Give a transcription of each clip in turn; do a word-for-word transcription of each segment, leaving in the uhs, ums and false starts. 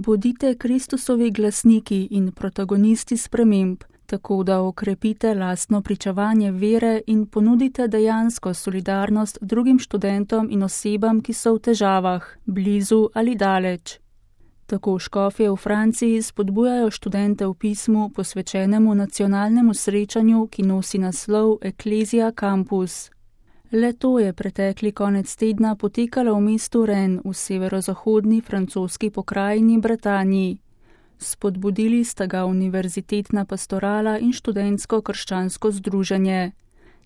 Bodite Kristusovi glasniki in protagonisti sprememb, tako da okrepite lastno pričevanje vere in ponudite dejansko solidarnost drugim študentom in osebam, ki so v težavah, blizu ali daleč. Tako škofje v Franciji spodbujajo študente v pismu posvečenemu nacionalnemu srečanju, ki nosi naslov Ecclesia Campus. Le to je pretekli konec tedna potekalo v mestu Rennes v severozahodni francoski pokrajini Bretaniji. Spodbudili sta ga univerzitetna pastorala in študentsko krščansko združenje.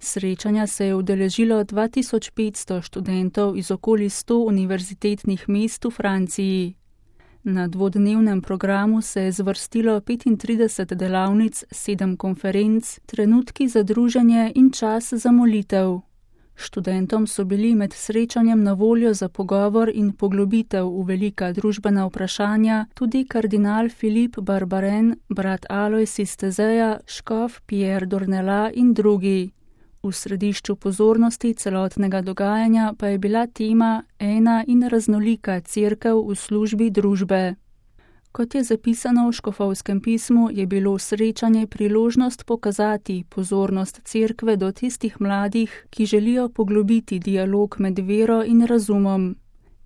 Srečanja se je udeležilo dva tisoč petsto študentov iz okoli sto univerzitetnih mest v Franciji. Na dvodnevnem programu se je zvrstilo petintrideset delavnic, sedem konferenc, trenutki za druženje in čas za molitev. Študentom so bili med srečanjem na voljo za pogovor in poglobitev v velika družbena vprašanja tudi kardinal Philippe Barbarin, brat Alois iz Tezeja, škof Pierre Dornelas in drugi. V središču pozornosti celotnega dogajanja pa je bila tema ena in raznolika cerkev v službi družbe. Kot je zapisano v škofovskem pismu, je bilo srečanje priložnost pokazati pozornost cerkve do tistih mladih, ki želijo poglobiti dialog med vero in razumom.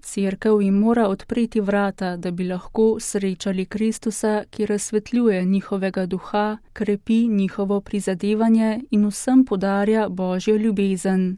Cerkev jim mora odpreti vrata, da bi lahko srečali Kristusa, ki razsvetljuje njihovega duha, krepi njihovo prizadevanje in vsem podarja Božjo ljubezen.